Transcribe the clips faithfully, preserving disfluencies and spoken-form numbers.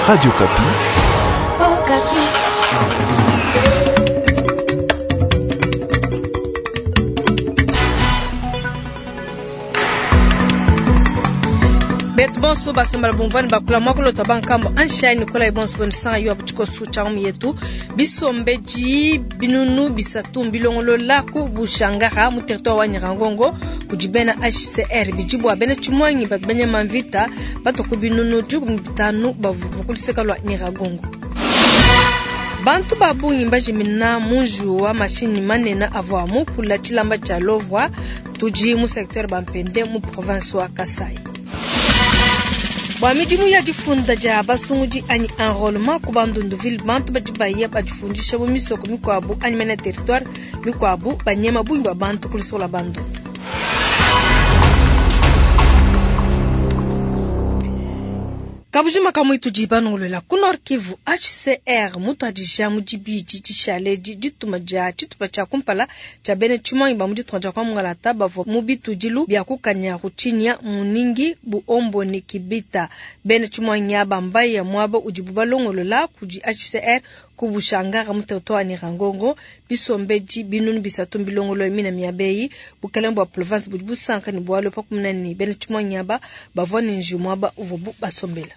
Radio Okapi. Okapi. Betu bonso basambala bumvani bakula mwakulota bankambo anshai nikola ibonso bwenu yo abuchikosu cha yetu bisombeji binunu bisatu mbilongolola ku bushangara mu territoire wa Nyiragongo kudi bena H C R bijibu bena chimwangi batu benya mamvita batu binunu dikumi bitanu bavu kuliseka lwa Nyiragongo. Bantu babungi mbajimina munju wa mashini manena avwa mukula chilamba cha Lovwa tuji mu secteur Bampende mu province wa Kasai. Bwa midimu ya difunda dia basungudi anyi enrôlement ku Bandunduville bantu badi baye badifundisha mu misoko mikwabu anyi mena territoire mikwabu banyema bungi bwa bantu kulisola bandu. Kabujima kamwitu jibanongolola ku Nord Kivu H C R mutwadija mu dibidi dishale dituma dia tshitupa tshia kumpala tshia bene tshimanyi ba mu ditunga dia kwa Mungalata bavua mu bitudilu bia kukanya Rutinya Muningi Buombo ne Kibita. Bene tshimanyi aba mbaya muaba udibu balongolola kudi H C R ku Bushangara mu territoire wa Nyiragongo bisombeji binunu bisatu mbilongolo mina miabeyi bukalenge bua province budi busanka ne bualu pa kumuna ne bene tshimanyi aba bavua ne njiwu muaba uvuabu basombela.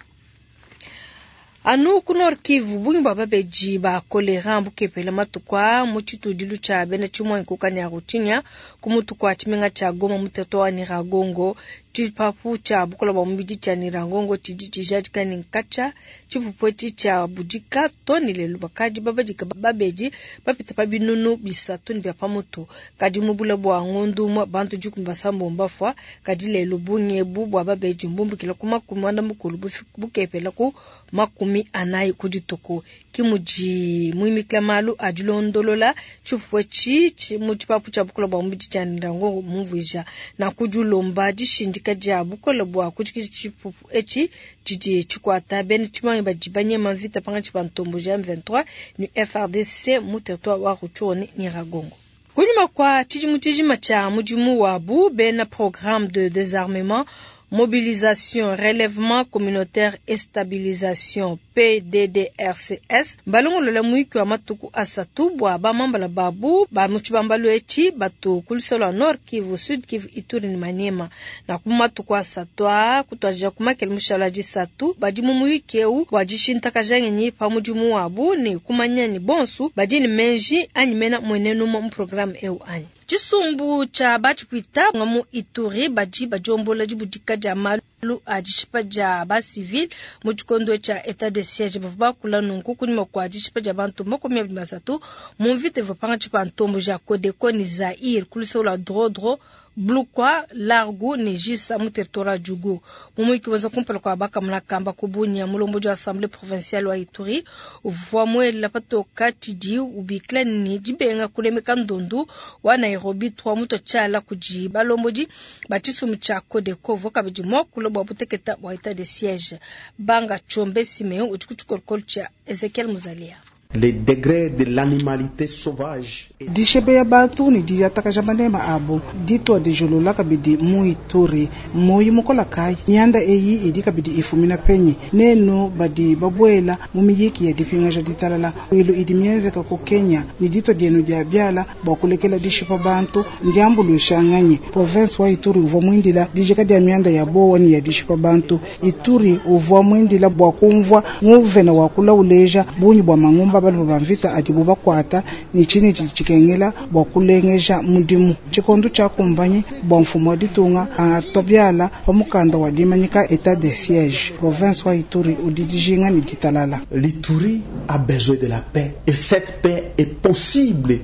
Anu ku Nord Kivu bungi bwa babeji ba kolera bukepela matukwa mu tshitudilu tshia bena tshimwanyi ku Kanyaruchinya ku mutu kwa tshimenga tshia Goma mu territoire wa Nyiragongo. Tshipapu tshia bukola bwa mubidi tshia Nyiragongo tshidi tshijadika ne nkatsha tshipupu etshi tshia budika to ne lelu bakadi babadika babeji bapita pa binunu bisatu ne bia pamutu. Kadi mu bula bua ngondu umue bantu dikumi basambombo bafua kadi lelu bungi ebu bua babeji mbumbukila ku makumi muanda mukulu bukepela ku makumi anayi ku dituku. Ki mudi muimikila malu a dilondolola tshipupu etshi mu tshipapu tshia bukola bua mubidi tshia Nyiragongo mumvuija na kudilomba dishindika dia bukola bua kujikija tshipupu etshi tshidi tshikuata bena tshimanyi badi banyema mvita pangatshi pa ntombo ja M vingt-trois ne F R D C mu territoire wa Rutshuru ne Nyiragongo. Kunyima kwa tshidimu tshijima tshia mudimu wabu bena programme de désarmement mobilisation, relèvement communautaire et stabilisation P D D R C S balongolola mwiki wa matuku asatu bwa bamambala babu ba mu tshibambalu etshi batu ku lusolo lwa Nord Kivu, Sud Kivu, Ituri ne Maniema. Na ku matuku asatu aa kutuadija ku makele mushala wa disatu badi mu muyiki eu wa dishintakaja ngenyi pa mudimu wabu ne kumanya ne bonsu badi ne menji anyi mena mwenenu mu programme eu anyi. Tshisumbu tshia batshipwita nga mu Ituri badi badiombola dibudika dia malu a dishipa dia ba civil mu tshikondo tshia etat de siège bavua bakula nunku kunyima kua dishipa dia bantu makumi abidi na basatu mu mvita ivua pangatshi pa ntombo ja Codeco ne Zaire ku luseke lua Drodro Blukwa, Largu ne Jisa mu territoire wa Djugu. Mu muyiki wenza kumpala kua bakamuna kamba ku Bunia, mulombodi wa Assemblée provinciale wa Ituri uvua muela patoka tshidi ubikila ne dibenga kulemeka ndondu wa Nairobi trois mutu tshiala kudi balombodi ba tshisumbu tshia Codeco uvua kabidi muakula bua buteketa bua etat de siège. Banga Tshombe Simeon udi ku tshikolokolo tshia Ezekiel Muzalia. Les degrés de l'animalité sauvage. Dishebe ya bantu ni diyatakaja manema abo ditwa dijolola kabidi mu Ituri moyi mukola kai nyanda eyi idi kabidi ifumina penyi nenu badi babwela mu miyiki ya dipingaja ditalala ilu idi mienzeka ku Kenya ni ditwa dienu dia biala bua kulekela dishipa bantu ndiambuluisha nganyi province wa Ituri uvua mwindila dijika dia mianda ya bowa ni ya dishipa bantu Ituri uvua mwindila bua kumvua nguvena wa kula uleja bunyi bua mangumba balu bamvita adibu bakwata ni chini chikengela bua kulengeja mudimu tshikondo tshia kumbanyi bua mfumo wa ditunga atobiala pa mukanda wa dimanyika etat de siège province wa Ituri udi dijinga ni ditalala. L'Ituri a besoin de la paix et cette paix est possible.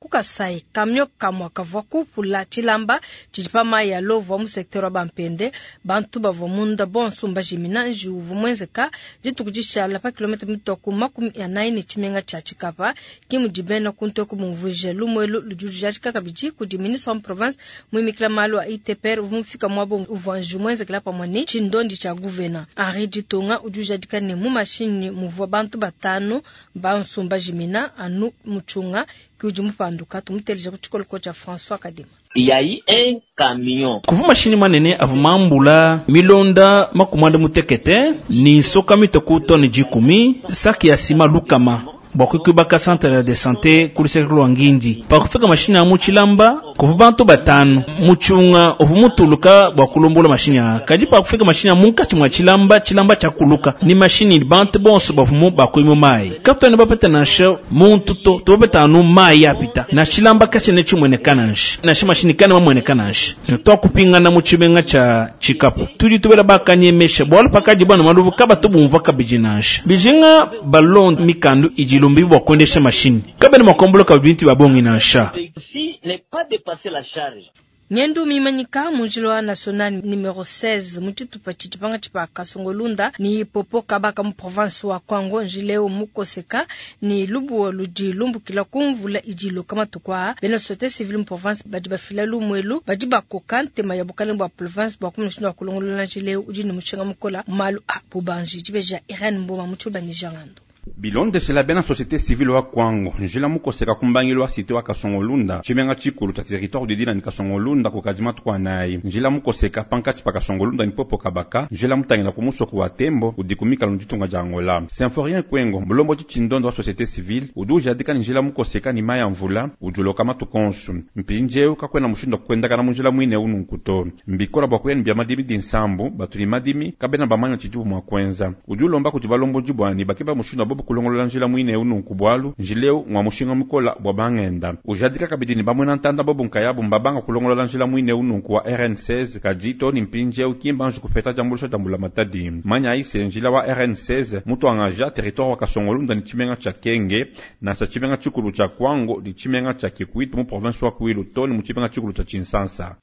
Kasai kamyo kamwa kavua kupula tshilamba tshidi pa mayi ya Lovwa mu secteur wa Bampende bantu bavua munda bonso mbajimina njiwu uvua muenzeka dituku dishala pa kilomita mitoku makumi anayi ne tshimenga tshia Tshikapa ki mudi bena kuntu eku bumvuije lumuelu ludi lujadika kabidi kudi ministre wa province muimikila malu a I T P R uvua mufika muaba uvua njiwu muenzekela pamue ne tshindondi tshia guvena Henri Ditonga udi ujadika ne mu mashinyi muvua bantu batanu bonso mbajimina anu mutshunga Ki udi mupanduka tumuteleja ku tshikoloko tshia François Kadima. Yayi un camion. Kuva mashini manene avua mambula milonda makumi anda mutekete ni nsoka mitoku tone dikumi saki ya sima lukama bua kuikibaka centre de santé ku luseke lua ngindi pakufika mashini a mu tshilamba kuva bantu batanu mutshiunga uvua mutuluka bua kulombola mashini aa kadi pakufika mashini a munkatshi mua tshilamba tshilamba tshiakuluka ni mashini bantu bonso bavumu bakuimu mayi katuena bapeta nansha muntu to tubapeta anu mayi apita na tshilamba katshiena tshimueneka nansha nansha mashini kana mamueneka nansha twakupingana mu tshimenga tshia tshikapu tudi tubela bakanyemesha bualu pakadi bana maluvu kabatu bumvua kabidi nansha bijinga balonda mikandu idi ilombi bua kuendesha mashini kabena mua kuambuluka bintu bia bongi nansha Ceci n'est pas dépasser la charge. Ngendu mimanyika mu njila wa national numero seize mu tshitupa tshidi tshipa Kasongolunda ni popo kabaka mu province wa Kwango njila eu mukoseka ni lubuwa ludi lumbukila ku mvula idi iloka matuku aa bena société civile mu province badi bafila lumuelu badi bakoka ntema ya bukalenge bua province bua kumuna wa kulongolola njila eu udi ne mushinga mukola mu malu a bubanji dibeja Irene Mboma mu tshiluba ne Jangando. Bilondeshela bena société civile wa Kwango njila mukoseka kumbangilo wa cité wa Kasongolunda tshimenga tshikulu tshia territoire didila ni Kasongolunda kukadima tukwa nayi njila mukoseka pankatshi pa Kasongolunda ni popo kabaka njila mutangila ku musoko wa Tembo udikumika lunditunga dia Angola Symphorien Kwengo mulombo tshindondo wa société civile udi ujadika ni njila mukoseka ni maya mvula udiloka matukonsu mpindieu kakwena mushindu kwendakana mu njila mwine unu nkuto mbikola bua kuyeni bia madimi dinsambu batuli madimi kabena bamanya tshidibu mua kwenza udi ulomba kuti balomboji bwani bakeba mushindu wa bobo kulongolola njila mwine unu nkubwalu njileu ngwa mushinga mukola bwa bangenda ujadika kabidi ni bamwena ntanda bobo nkayabu mbabanga kulongolola njila mwine unu nku wa R N seize kadi to ni mpindieu kimba nji kupeta diambulusha diambula matadi manya ise njila wa R N seize mutu angaja territoire wa Kasongolunda ni tshimenga tshia Kenge na tshia tshimenga tshikulu tshia Kwango ni tshimenga tshia Kikwit mu province wa Kwilu to ni mu tshimenga tshikulu tshia Tshinsansa.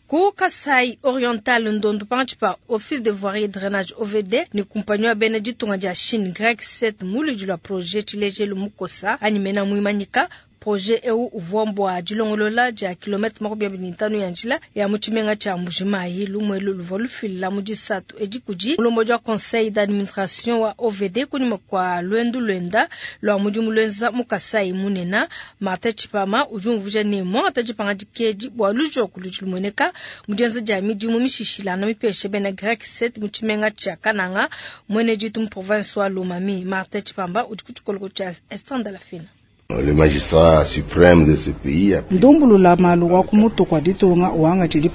Ku Kasai Oriental ndondo pangathi office de voirie et drainage O V D ni kumpanywa bena ditunga dia Chine Grec sept muludi lwa projet tshilejelu mukosa anyi mena muimanyika projet eu uvua mbua dilongolola dia kilomètre makumi abidi ne ntanu ya njila ya mu tshimenga tshia Mbujimayi lumuelu luvua lufila mu disatu edi kudi mulombodi wa conseil d'administration wa O V D kunyima kua luendu luenda lua mudimu luenza mu Kasai munena Martin Tshipama udi umvuija ne muangata dipangadika edi bua lujoku ludi lumueneka mu dienza dia midimu mishishilana mipesha bena Grec sept mu tshimenga tshia Kananga mwene ditu mu province wa Lomami. Martin Tshipamba udi ku tshikoloko tshia Esther Ndalafina. Le magistrat suprême de ce pays a ndumbulula malu wa kumutu kwa ditunga wanga tshidi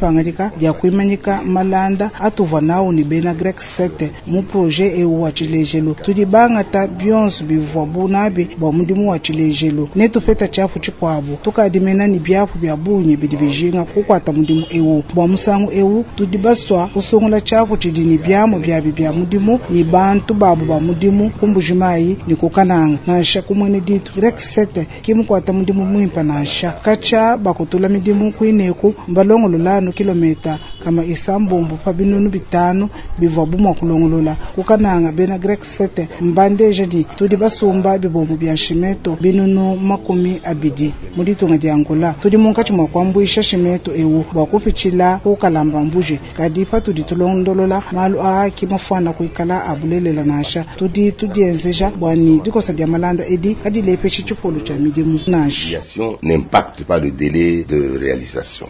dia kuimanyika malanda atuvua nawu ni bena Grec sept mu projet eu wa tshilejelu tudi bangata bionso bivua bunabi bua mudimu wa tshilejelu netupeta tshiapu tshikuabu tukadimena ni biapu bia bungi bidi bijinga kukwata mudimu eu bua musangu eu tudi basua kusungula tshiapu tshidi ni biamu biabi bia mudimu ni bantu babu ba mudimu ku Mbujimayi ni ku Kananga nansha kumwene ditu Grec sept kimukwata mudimu mwimpa nansha kacha bakutula midimu kuineku mbalongolola kilomita kama isambombo pa binunu bitanu bivua bumua kulongolola kukananga bena Grec sept mbandeja di tudi basumba bibombo bia shimeto binunu makumi abidi mu ditunga dia Angola tudi munkatshi mua kuambuisha shimeto ewu bua kupitshila kukalamba mbuji kadi patudi tulondolola malu aa kimafuana kuikala abulelela nansha tudi tudienzeja bua ni dikosa dia malanda edi kadilepeshe tshipolo tshia midimu nansha n'impacte pas le délai de réalisation.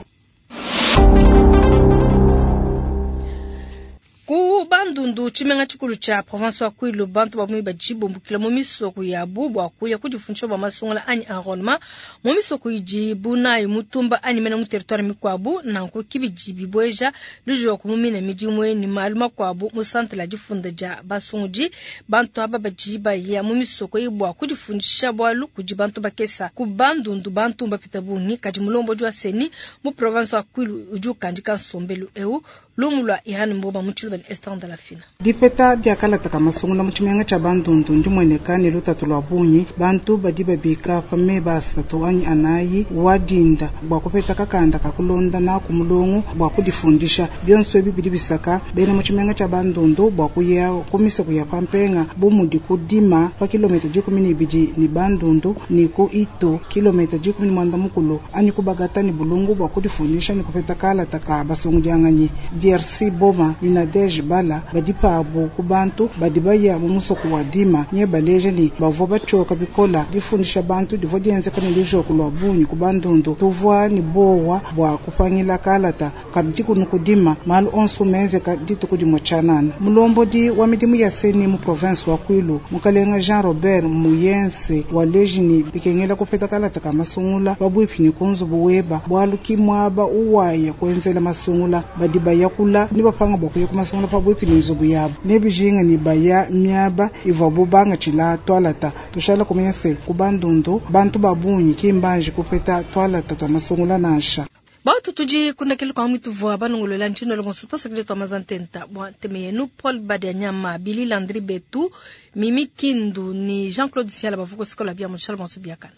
Ku Bandundu tshimenga tshikulu tshia province wa Kwilu bantu bamwe badi bumbukila mu misoko yabu bua kuya kudifundisha bua masungula anyi enrôlement mu misoko idi bunayi mutumba anyi mena mu territoire mikuabu nanku kibidi bibweja lujoku mu mina midimu ni malu makuabu mu centre la difunda dia basungudi bantu aba badi baya mu misoko iyi bua kudifundisha bualu kudi bantu bakesa ku Bandundu bantu bapita bungi kadi mulombodi wa CENI mu province wa Kwilu udi ukandika nsombelu eu lumu lua Irene Mboba mu tshiluba ne Esther Ndalafina. Dipeta diakalata masungula mu tshimenga tshia Bandundu ndimueneka ne lutatu lua bungi bantu badi babika pa meba asatu anyi anayi wadinda bua kupeta kakanda kakulonda naku mulongo bua kudifundisha bionso ebi bidi bisaka bena mu tshimenga tshia Bandundu bua kuya ku misoko ya pampenga bu mudi kudima pa kilomita dikumi ne ibidi ni Bandundu ni ku Ito kilomita dikumi ne mwanda mukulu anyi kubagata ni bulungu bua kudifundisha ni kupeta kalata ka basungudianganyi D R C Boma ni Nadege Bala badi badi pabu ku bantu badi baya mu musoko wa Dima nye baleja ne bavua batshioka bikola difundisha bantu divua dienzeka ne lujoku lua bungi ku bandundu tuvua ne bowa bua kupangila kalata kadi kunu kudima malu onso menzeka dituku dimue tshianana. Mulombodi wa midimu ya CENI mu province wa Kwilu mukalenga Jean Robert Muyense waleji ne bikengela kupeta kalata ka masungula pabuipi ne ku nzubu weba bualu ki muaba uwaya kuenzela masungula badi bayakula ne bapanga bua kuya ku masungula pabuipi ne nzubu yabo ne bijinga ne baya miaba ivuabu bangatshila twalata tushala kumanya se ku bandundu bantu ba bungi ki mbanji kupeta twalata twa masungula nansha. Batu tudi kundakele kwa mwitu banongolola ntshino le bonso tosakile twa mazantenta bwa nteme yenu Paul Badianyama Billy Landry Betu Mimi Kindu ni Jean-Claude Siala bavuko sikola bia mushala bonso biakana.